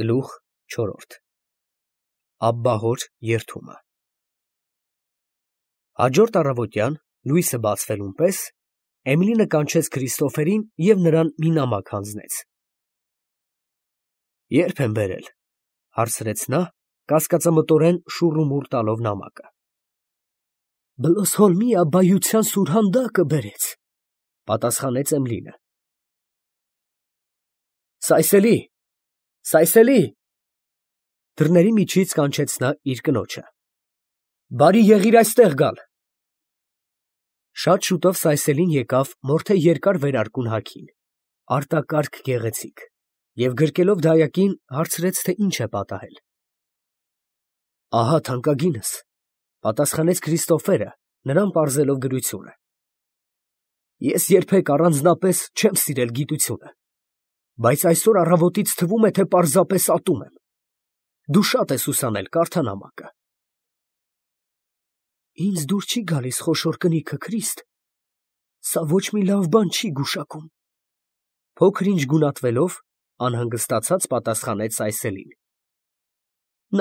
Գլուխ 4 Աբբահոր երդումը Հաջորդ առավոտյան լույսը բացվելուն պես Էմիլին կանչեց Քրիստոֆերին և նրան մի նամակ հանձնեց։ Ե՞րբ են բերել, հարցրեց նա, կասկածամտորեն շուռումուռ տալով նամակը։ Բլոսհոլմի աբբայության սուրհանդակը բերեց, պատասխանեց Էմիլինը։ Սայսելի, Սայսելի, դռների միջից կանչեց նա իր կնոջը։ Բարի եղիր այստեղ գալ։ Շատ շուտով Սայսելին եկավ մորթե երկար վերարկուն հագին, արտակարգ գեղեցիկ, և գրկելով դայակին հարցրեց, թե ինչ է պատահել։ Ահա թանկագինս, պատասխանեց Քրիստոֆերը, նրան պարզելով գրությունը։ Ես երբեք առանձնապես չեմ սիրել գիտությունը, բայց այսօր առավոտից թվում է, թե պարզապես ատում եմ։ Դու շատ ես ուսանել, կարդա նամակը։ Ինձ դուր չի գալիս խոշոր կնիքը, Քրիստ, սա ոչ մի լավ բան չի գուշակում։ Փոքր-ինչ գունատվելով, անհանգստացած պատասխանեց Սայսելին։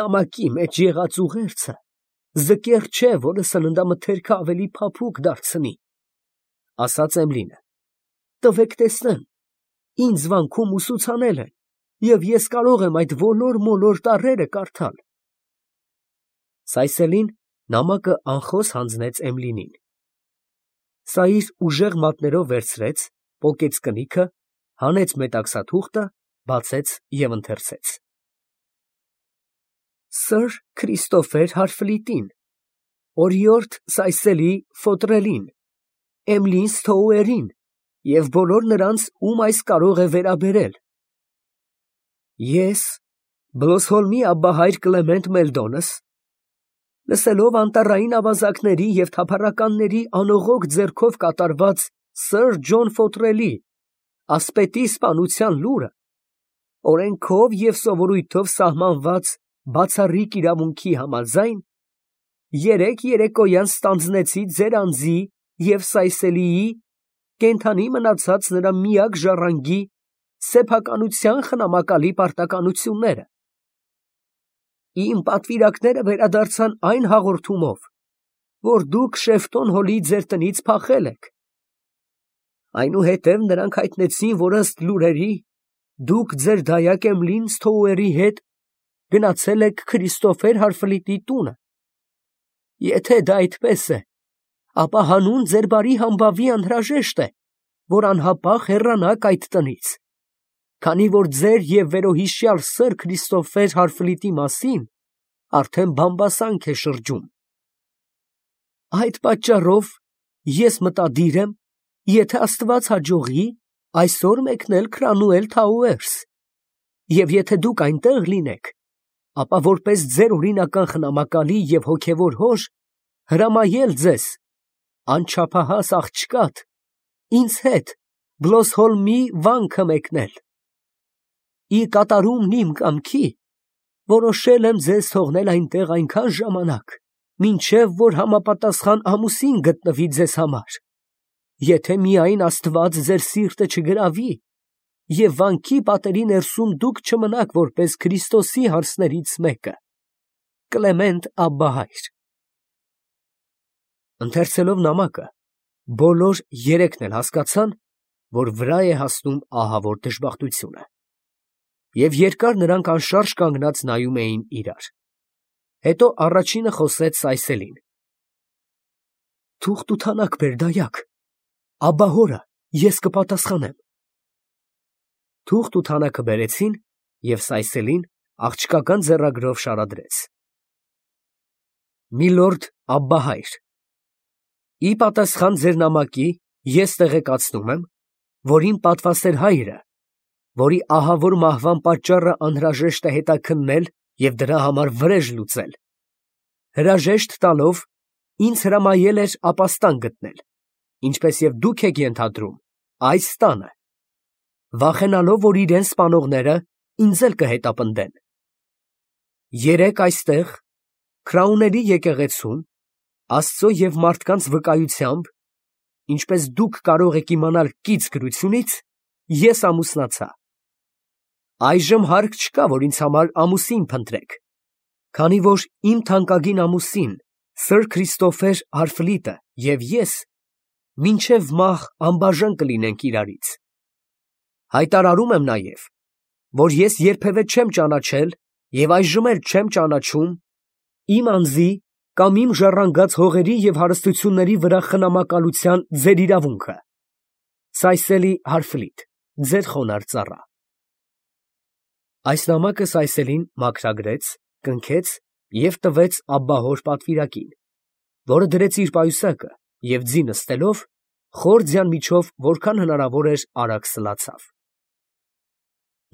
Նամակի մեջ եղած ուղերձը ձկեր չէ, որը սննդամթերքը ավելի փափուկ դարձնի, ասաց Էմիլինը։ Տվեք տեսնեմ, ինձ վանքում ուսուցանել են, և ես կարող եմ այդ ոլոր-մոլոր տառերը կարդալ։ Սայսելին նամակը անխոս հանձնեց Էմիլինին։ Սա իր ուժեղ մատներով վերցրեց, պոկեց կնիքը, հանեց մետաքսաթուղթը, բացեց և ընթերցեց. Սըր Քրիստոֆեր Հարֆլիտին, օրիորդ Սայսելի Ֆոտրելին, Էմիլին Սթոուերին և բոլոր նրանց, ում այս կարող է վերաբերել։ Ես, Բլոսհոլմի աբբահայր Կլեմենտ Մելդոնս, լսելով անտառային ավազակների և թափառականների անողոք ձեռքով կատարված սըր Ջոն Ֆոտրելի ասպետի սպանության լուրը, օրենքով և սովորույթով սահմանված բացառիկ իրավունքի համաձայն, երեկ երեկոյան ստանձնեցի ձեր անձի և Սայսելիի կենդանի մնացած նրա միակ ժառանգի սեփականության խնամակալի պարտականությունները։ Իմ պատվիրակները վերադարձան այն հաղորդումով, որ դուք Շեֆտոն Հոլի ձեր տնից փախել եք։ Այնուհետև նրանք հայտնեցին, որ ըստ լուրերի դուք ձեր դայակ Էմիլին Սթոուերի հետ գնացել եք Քրիստոֆեր Հարֆլիտի տունը։ Եթե դա այդպես է, ապա հանուն ձեր բարի համբավի անհրաժեշտ է, որ անհապաղ հեռանաք այդ տնից, քանի որ ձեր և վերոհիշյալ սըր Քրիստոֆեր Հարֆլիտի մասին արդեն բամբասանք է շրջում։ Այդ պատճառով ես մտադիր եմ, եթե Աստված հաջողի, այսօր մեկնել Քրանուել Թաուերս, և եթե դուք այնտեղ լինեք, ապա որպես ձեր օրինական խնամակալի և հոգևոր հոր հրամայել ձեզ, անչափահաս աղջկադ, ինձ հետ Բլոսհոլմի վանքը մեկնել։ Ի կատարումն իմ կամքի որոշել եմ ձեզ թողնել այնտեղ այնքան ժամանակ, մինչև որ համապատասխան ամուսին գտնվի ձեզ համար, եթե միայն Աստված ձեր սիրտը չգրավի, և վանքի պատերի ներսում դուք չմնաք որպես Քրիստոսի հանձներից մեկը։ Կլեմենտ աբբահայր։ Ընթերցելով նամակը, բոլոր երեքն էլ հասկացան, որ վրա է հասնում ահավոր դժբախտությունը, և երկար նրանք անշարժ կանգնած նայում էին իրար։ Հետո առաջինը խոսեց Սայսելին. Թուղթ ու թանակ բեր, դայակ, աբբահորը, ես կպատասխանեմ։ Թուղթ ու թանակը բերեցին, և Սայսելին աղջկական ձեռագրով շարադրեց. Միլորդ աբբահայր, ի պատասխան ձեր նամակի ես տեղեկացնում եմ, որ իմ պատվասեր հայրը, որի ահավոր մահվան պատճառը անհրաժեշտ է հետաքննել և դրա համար վրեժ լուծել, հրաժեշտ տալով ինձ հրամայել էր ապաստան գտնել, ինչպես և դուք եք ենթադրում, այս տանը, վախենալով, որ իրեն սպանողները ինձ էլ կհետապնդեն։ Երեկ այստեղ, Քրաունելի եկեղեցում, Աստծո և մարդկանց վկայությամբ, ինչպես դուք կարող եք իմանալ կից գրությունից, ես ամուսնացա։ Այժմ հարկ չկա, որ ինձ համար ամուսին փնտրեք, քանի որ իմ թանկագին ամուսին Սր Քրիստոֆեր Հարֆլիտը և ես մինչև մահ անբաժան կլինենք իրարից։ Հայտարարում եմ նաև, որ ես երբևէ չեմ ճանաչել և այժմ էլ չեմ ճանաչում իմ անձի կամ իմ ժառանգած հողերի և հարստությունների վրա խնամակալության ձեր իրավունքը։ Սայսելի Հարֆլիտ, ձեր խոնարհ ծառա։ Այս նամակը Սայսելին մաքրագրեց, կնքեց և տվեց աբբահոր պատվիրակին, որը դրեց իր պայուսակը և ձի նստելով, խոր ձյան միջով որքան հնարավոր էր արագ սլացավ։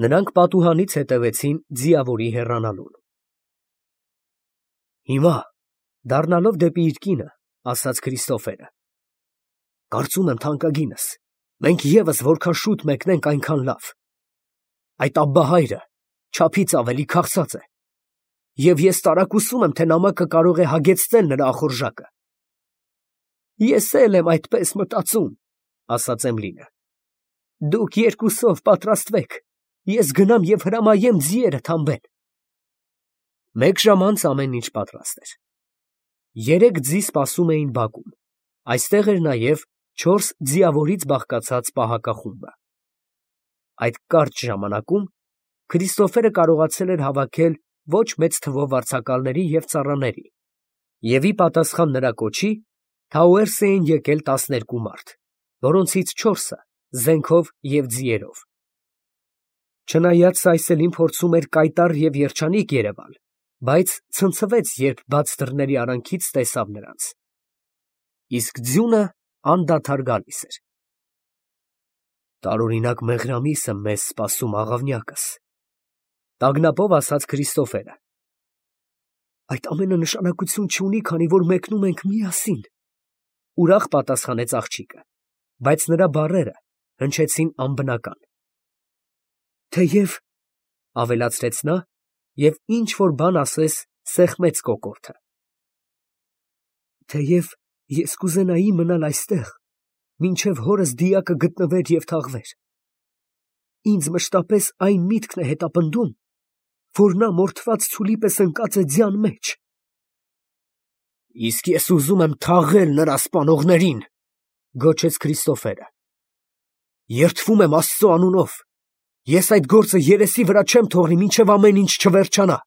Նրանք պատուհանից հետևեցին ձիավորի հեռանալուն։ Հիմա, դառնալով դեպի իր կինը, ասաց Քրիստոֆերը. կարծում եմ, թանկագինս, մենք ևս որքան շուտ մեկնենք, այնքան լավ։ Այդ աբբահայրը չափից ավելի քաղցած է, և ես տարակուսում եմ, թե նամակը կարող է հագեցնել նրա ախորժակը։ Ես էլ եմ այդպես մտածում, ասաց Էմլինը։ Դուք երկուսով պատրաստվեք, ես գնամ և հրամայեմ ձիերը թամբել։ Մեկ ժամ անց ամեն ինչ պատրաստ էր։ 3 ձի սպասում էին բակում, այստեղ էր նաև 4 ձիավորից բաղկացած պահակախումբը։ Այդ կարճ ժամանակում Քրիստոֆերը կարողացել էր հավաքել ոչ մեծ թվով վարձակալների և ծառաների, և ի պատասխան նրա կոչի Թաուերս էին եկել 12 մարդ, որոնցից 4-ը զենքով և ձիերով։ Չնայած Սայսելին փորձում էր կայտառ և երջանիկ երևալ, բայց ցնցվեց, երբ բաց դռների արանքից տեսավ նրանց։ Իսկ ձյունը անդադար գալիս էր։ Տարօրինակ մեղրամիս է մեզ սպասում, աղավնյակս, տագնապով ասաց Քրիստոֆերը։ Այդ ամենը նշանակություն չունի, քանի որ մեկնում ենք միասին, ուրախ պատասխանեց աղջիկը, բայց նրա բառերը հնչեցին անբնական։ Թեև, ավելացրեց նա, և ինչ որ բան ասես սեղմեց կոկորդը, թեև ես կուզենայի մնալ այստեղ, մինչև հորս դիակը գտնվեր և թաղվեր։ Ինձ մշտապես այն միտքն է հետապնդում, որ նա մորթված ցուլի պես ընկած է ձյան մեջ։ Իսկ ես ուզում եմ թաղել նրա սպանողներին, գոչեց Քրիստոֆերը։ Երդվում եմ Աստծո անունով, ես այդ գործը երեսի վրա չեմ թողնի, մինչև ամեն ինչ չվերջանա։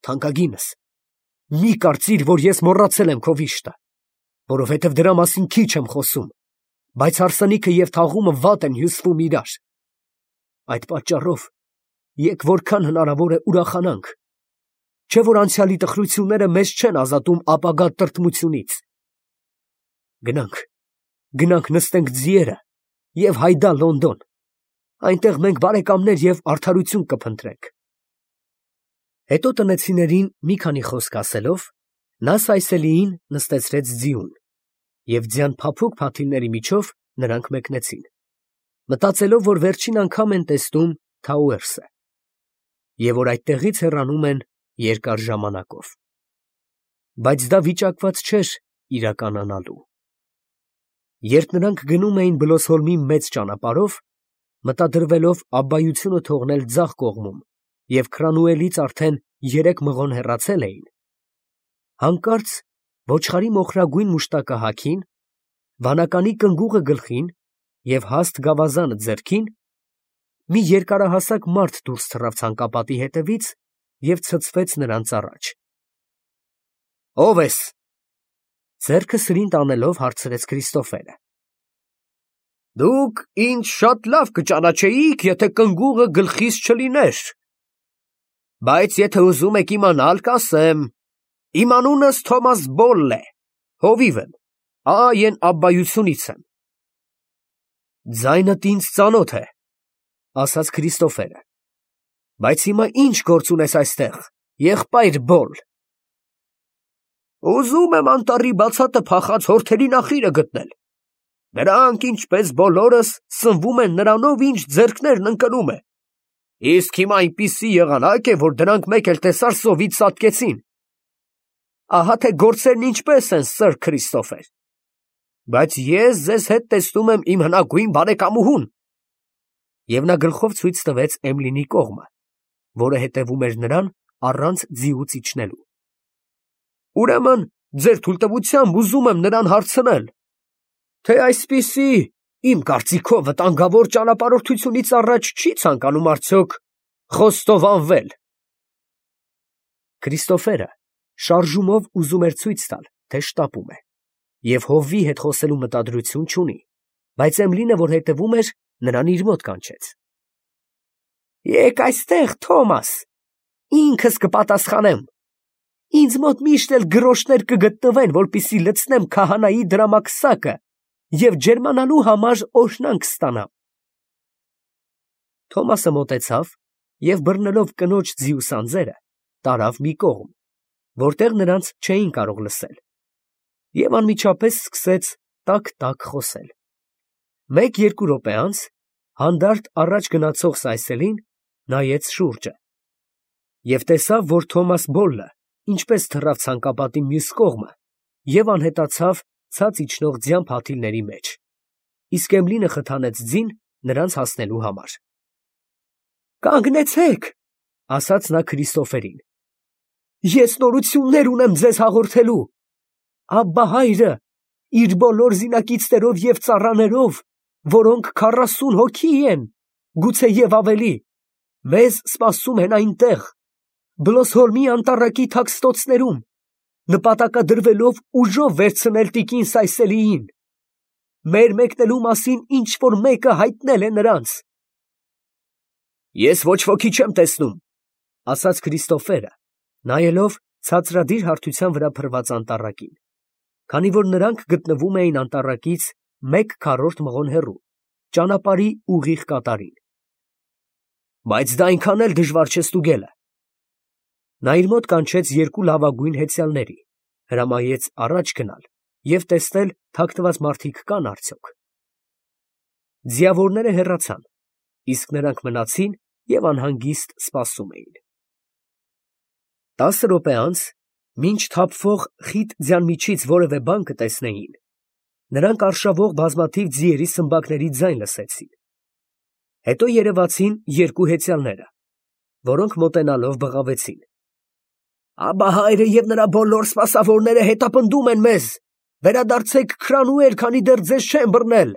Թանկագինս, մի կարծիր, որ ես մոռացել եմ քո վիշտը, որովհետև դրա մասին քիչ եմ խոսում, բայց հարսանիքը և թաղումը վատ են հյուսվում իրար։ Այդ պատճառով եկ որքան հնարավոր է ուրախանանք, չէ՞ որ անցյալի տխրությունները մեզ չեն ազատում ապագա տրտմությունից։ Գնանք նստենք ձիերը և հայդա Լոնդոն, այնտեղ մենք բարեկամներ և արդարություն կփնտրենք։ Հետո տնեցիներին մի քանի խոսք ասելով, նա Սայսելիին նստեցրեց ձիուն, և ձյան փափուկ փաթիլների միջով նրանք մեկնեցին, մտածելով, որ վերջին անգամ են տեսնում Թաուերսը, և որ այդտեղից հեռանում են երկար ժամանակով։ Բայց դա վիճակված չէր իրականանալու։ Երբ նրանք գնում էին Բլոսհոլմի մեծ ճանապարհով, մտադրվելով աբբայությունը թողնել ձախ կողմում և Քրանուելից արդեն 3 մղոն հեռացել էին, հանկարծ ոչխարի մոխրագույն մուշտակահագին, վանականի կնգուղը գլխին և հաստ գավազանը ձեռքին, մի երկարահասակ մարդ դուրս թռավ ցանկապատի հետևից և ցցվեց նրանց առաջ։ Ո՞վ ես, ձեռքը սրին տանելով հարցրեց Քրիստոֆերը։ Դուք ինձ շատ լավ կճանաչեիք, եթե կնգուղը գլխիս չլիներ, բայց եթե ուզում եք իմանալ, կասեմ. իմ անունս Թոմաս Բոլլ է, հովիվ եմ, այն աբբայությունից եմ։ Ձայնդ ինձ ծանոթ է, ասաց Քրիստոֆերը, բայց հիմա ինչ գործ ունես այստեղ, եղբայր Բոլլ։ Ուզում եմ անտառի բացատը փախած հորթերի նախիրը գտնել։ Նրանք, ինչպես բոլորս, սնվում են նրանով, ինչ ձեռքներն ընկնում է։ Իսկ հիմա այնպիսի եղանակ է, որ դրանք մեկ էլ տեսար սովից ծածկեցին։ Ահա թե գործերն ինչպես են, Սըր Քրիստոֆեր։ Բայց ես ձեզ հետ տեսնում եմ իմ հնագույն բարեկամուհուն։ Եվ նա գլխով ցույց տվեց Էմլինի կողմը, որը հետևում էր նրան առանց ձիուց իջնելու։ Ուրեմն, ձեր թույլտվությամբ ուզում եմ նրան հարցնել, թե այսպիսի, իմ կարծիքով, վտանգավոր ճանապարհորդությունից առաջ չի ցանկանում արդյոք խոստովանվել։ Քրիստոֆերը շարժումով ուզում էր ցույց տալ, թե շտապում է, և հովվի հետ խոսելու մտադրություն չունի, բայց Էմլինը, որ հետևում էր, նրան իր մոտ կանչեց։ Եկ այստեղ, Թոմաս, ինքս կպատասխանեմ։ Ինձ մոտ միշտ էլ գրոշներ կգտնվեն, որպեսզի լցնեմ քահանայի դրամակսակը և ջերմանալու համար օրհնանք ստանամ։ Թոմասը մոտեցավ և բռնելով կնոջ ձիու սանձերը, տարավ մի կողմ, որտեղ նրանց չէին կարող լսել, և անմիջապես սկսեց տաք-տաք խոսել։ Մեկ-երկու րոպե անց հանդարտ առաջ գնացող Սայսելին նայեց շուրջը և տեսավ, որ Թոմաս Բոլլը ինչպես թռավ ցանկապատի մյուս կողմը և անհետացավ ցած իջնող ձյան փաթիլների մեջ, իսկ Էմլինը խթանեց ձին նրանց հասնելու համար։ «Կանգնեցեք», ֊ ասաց նա Քրիստոֆերին, «ես նորություններ ունեմ ձեզ հաղորդելու։ Աբբա հայրը իր բոլոր զինակիցներով և ծառաներով, որոնք 40 հոգի են, գուցեև ավելի, մեզ սպասում են այնտեղ, Բլոսհոլմի անտառակի թաքստոցներում, նպատակադրվելով ուժով վերցնել տիկին Սայսելիին։ Մեր մեկնելու մասին ինչ֊որ մեկը հայտնել է նրանց»։ «Ես ոչ ոքի չեմ տեսնում», ֊ ասաց Քրիստոֆերը, նայելով ցածրադիր հարթության վրա փռված անտառակին, քանի որ նրանք գտնվում էին անտառակից 1/4 մղոն հեռու, ճանապարհի ուղիղ կատարին։ «Բայց դա այնքան էլ դժվար չէ ստուգելը»։ Նա իր մոտ կանչեց երկու լավագույն հեծյալների, հրամայեց առաջ գնալ և տեսնել թաքնված մարդիկ կան արդյոք։ Ձիավորները հեռացան, իսկ նրանք մնացին և անհանգիստ սպասում էին։ 10 րոպե անց, մինչ թափվող խիտ ձյան միջից որևէ բան կտեսնեին, նրանք արշավող բազմաթիվ ձիերի սմբակների ձայն լսեցին։ Հետո երևացին երկու հեծյալները, որոնք մոտենալով բղավեցին. «Աբբա հայրը և նրա բոլոր սպասավորները հետապնդում են մեզ. վերադարձեք Քրանուել, քանի դեռ ձեզ չեն բռնել»։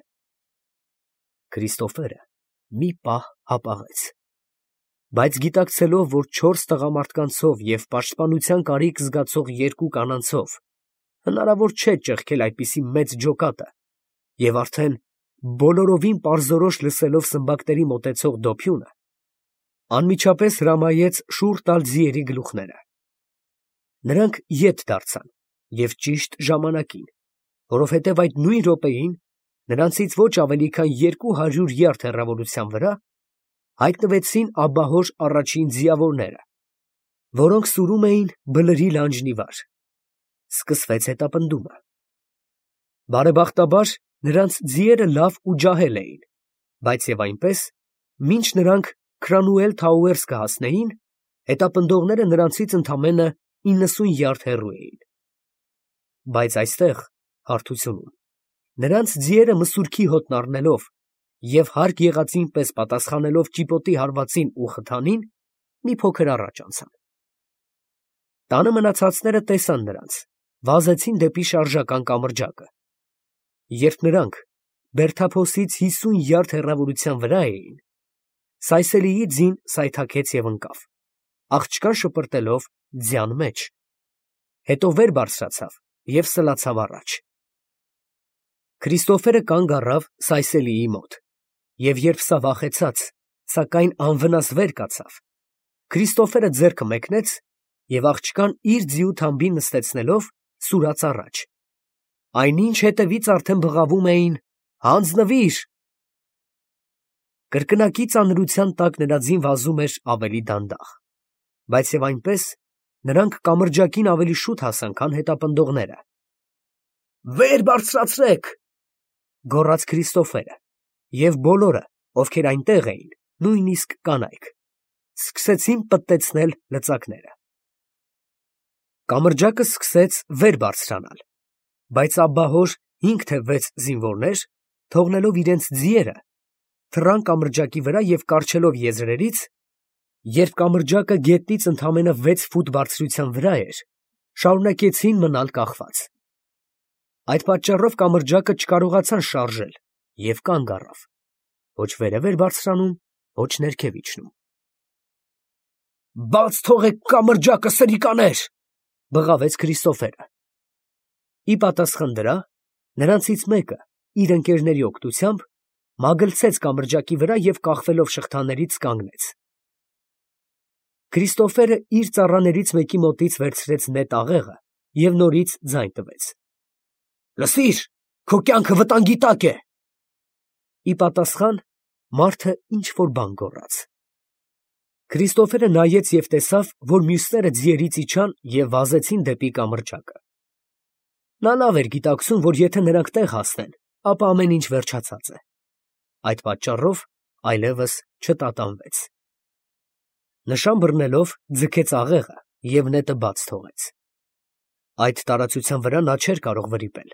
Քրիստոֆերը մի պահ հապաղեց, բայց գիտակցելով, որ 4 տղամարդկանցով և պաշտպանության կարիք զգացող երկու կանանցով հնարավոր չէ ճեղքել այդպիսի մեծ ջոկատը, և արդեն բոլորովին պարզորոշ լսելով սմբակների մոտեցող դոփյունը, անմիջապես հրամայեց շուռ տալ ձիերի գլուխները։ Նրանք ետ դարձան և ճիշտ ժամանակին, որովհետև այդ նույն րոպեին նրանցից ոչ ավելի քան 200 յարդ հեռավորության վրա հայտնվեցին աբբահոր առաջին ձիավորները, որոնք սուրում էին բլրի լանջն ի վար։ Սկսվեց հետապնդումը։ Բարեբախտաբար նրանց ձիերը լավ ու ջահել էին, բայց և այնպես, մինչ նրանք Քրանուել Թաուերս կհասնեին, հետապնդողները նրանցից ընդամենը 90 յարդ հեռու էին։ Բայց այստեղ, հարթությունում, նրանց ձիերը մսուրքի հոտն առնելով և հարկ եղածին պես պատասխանելով ճիպոտի հարվածին ու խթանին, մի փոքր առաջ անցան։ Տանը մնացածները տեսան նրանց, վազեցին դեպի շարժական կամրջակը։ Երբ նրանք Բերթափոսից 50 յարդ հեռավորության վրա էին, Սայսելիի ձին սայթաքեց և ընկավ, աղջկան շպրտելով ձյան մեջ, հետո վեր բարձրացավ և սլացավ առաջ։ Քրիստոֆերը կանգ առավ Սայսելիի մոտ, և երբ սա վախեցած, սակայն անվնաս վեր կացավ, Քրիստոֆերը ձեռքը մեկնեց և աղջկան իր ձիու թամբին նստեցնելով սուրաց առաջ, այնինչ հետևից արդեն բղավում էին. «Հանձնվի՛ր»։ Կրկնակի ծանրության տակ նրա ձին վազում էր ավելի դանդաղ, բայց և այնպես նրանք կամրջակին ավելի շուտ հասան, քան հետապնդողները։ «Վեր բարձրացրեք», ֊ գոռաց Քրիստոֆերը, և բոլորը, ովքեր այնտեղ էին, նույնիսկ կանայք, սկսեցին պտտեցնել լծակները։ Կամրջակը սկսեց վեր բարձրանալ, բայց աբբահոր 5 թե 6 զինվորներ, թողնելով իրենց ձիերը, թռան կամրջակի վրա և կառչելով եզրերից, երբ կամրջակը գետնից ընդամենը 6 ֆուտ բարձրության վրա էր, շարունակեցին մնալ կախված։ Այդ պատճառով կամրջակը չկարողացան շարժել և կանգ առավ, ոչ վերև էր բարձրանում, ոչ ներքև իջնում։ «Բաց թողեք կամրջակը, սրիկաներ», բղավեց Քրիստոֆերը։ Ի պատասխան դրա, նրանցից մեկը իր ընկերների օգնությամբ մագլցեց կամրջակի վրա և կախվելով շղթաներից կանգնեց։ Քրիստոֆերը իր ծառաներից մեկի մոտից վերցրեց նետ աղեղը և նորից ձայն տվեց. «Լսիր, քո կյանքը վտանգի տակ է»։ Ի պատասխան մարդը ինչ-որ բան գոռաց։ Քրիստոֆերը նայեց և տեսավ, որ մյուսները ձիերից իջան և վազեցին դեպի կամրջակը։ Նա լավ էր գիտակցում, որ եթե նրանք տեղ հասնեն, ապա ամեն ինչ վերջացած է։ Այդ պատճառով այլևս չտատանվեց։ Նշան բռնելով ձգեց աղեղը և նետը բաց թողեց։ Այդ տարածության վրա նա չէր կարող վրիպել։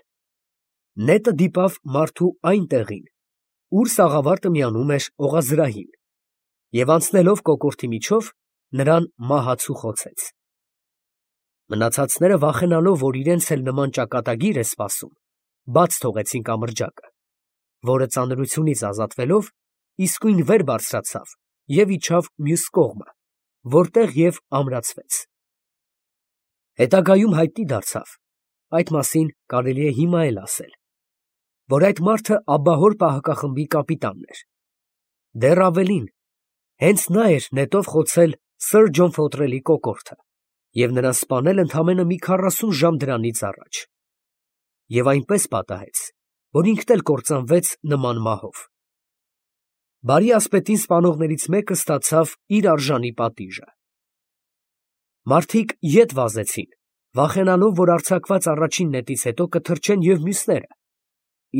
Նետը դիպավ մարդու այն տեղին, ուր սաղավարտը միանում էր օղազրահին, և անցնելով կոկորդի միջով, նրան մահացու խոցեց։ Մնացածները վախենալով, որ իրենց էլ նման ճակատագիր է սպասում, բաց թողեցին կամրջակը, որը ծանրությունից ազատվելով, իսկույն վեր բարձրացավ և իջավ մյուս կողմը, որտեղ և ամրացվեց։ Հետագայում հայտնի դարձավ, այդ մասին կարելի է հիմա էլ ասել, որ այդ մարդը ապահոր պահակախմբի կապիտանն էր։ Դեռ ավելին, հենց նա էր նետով խոցել սըր Ջոն Ֆոթրելի կոկորդը և նրան սպանել ընդամենը մի 40 ժամ դրանից առաջ, և այնպես պատահեց, որ ինքն էլ կործանվեց նման մահով։ Բարի ասպետին սպանողներից մեկը ստացավ իր արժանի պատիժը։ Մարդիկ ետ վազեցին, վախենալով, որ արձակված առաջին նետից հետո կթրջեն և մյուսները,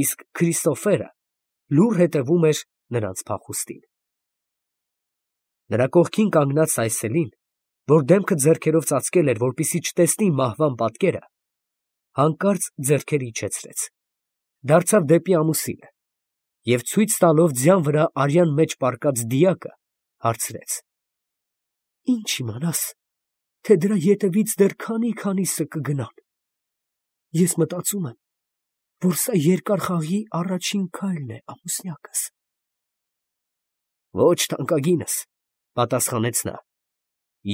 իսկ Քրիստոֆերը լուռ հետևում էր նրանց փախուստին։ Նրա կողքին կանգնած այսելին, որ դեմքը ձեռքերով ծածկել էր, որպեսզի չտեսնի մահվան պատկերը, հանկարծ ձեռքերը իջեցրեց, դարձավ դեպի ամուսինը և ցույց տալով ձյան վրա արյան մեջ պառկած դիակը, հարցրեց. «Ի՞նչ իմանաս, թե դրա ետևից դեռ քանի՞սը կգնան։ Ես մտածում եմ, որ սա երկար խաղի առաջին քայլն է, ամուսնյակս»։ «Ոչ, թանկագինս», պատասխանեց նա,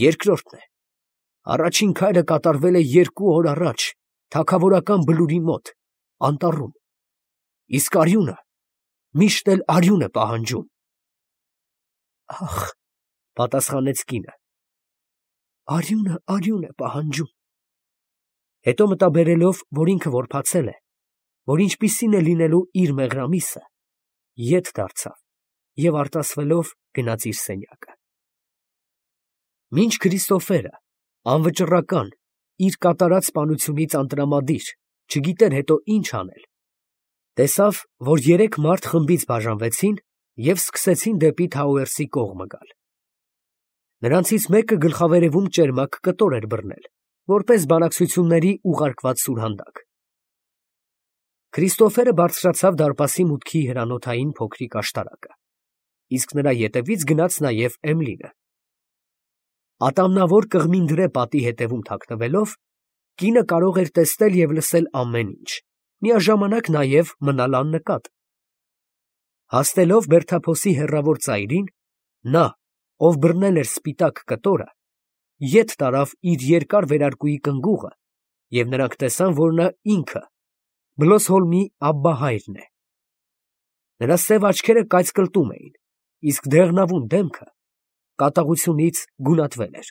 «երկրորդն է։ Առաջին քայլը կատարվել է 2 օր առաջ թագավորական բլուրի մոտ, անտառում, իսկ արյունը միշտ էլ արյուն է պահանջում»։ «Ախ», պատասխանեց կինը, արյունը է պահանջում։ Հետո մտաբերելով, որ ինքը որբացել է, որ ինչպիսին է լինելու իր մեղրամիսը, ետ դարձավ և արտասվելով գնաց իր սենյակը։ Մինչ Քրիստոֆերը, անվճռական, իր կատարած սպանությունից անտրամադիր, չգիտեր հետո ինչ անել, տեսավ, որ 3 մարդ խմբից բաժանվեցին և սկսեցին դեպի Թաուերսի կողմը գալ։ Նրանցից մեկը գլխավերևում ճերմակ կտոր էր բռնել, որպես բանակցությունների ուղարկված սուրհանդակ։ Քրիստոֆերը բարձրացավ դարպասի մուտքի հրանոթային փոքրիկ աշտարակը, իսկ նրա ետևից գնաց նաև Էմլինը։ Ատամնավոր կղմինդրե պատի հետևում թաքնվելով, կինը կարող էր տեսնել և լսել ամեն ինչ, միաժամանակ նաև մնալ աննկատ։ Հասնելով բերդափոսի հեռավոր ծայրին, նա, ով բռնել էր սպիտակ կտորը, ետ տարավ իր երկար վերարկուի կնգուղը, և նրանք տեսան, որ նա ինքը Բլոսհոլմի Աբբահայրն է։ Նրա սև աչքերը կայծկլտում էին, իսկ դեղնավուն դեմքը կատաղությունից գունատվել էր։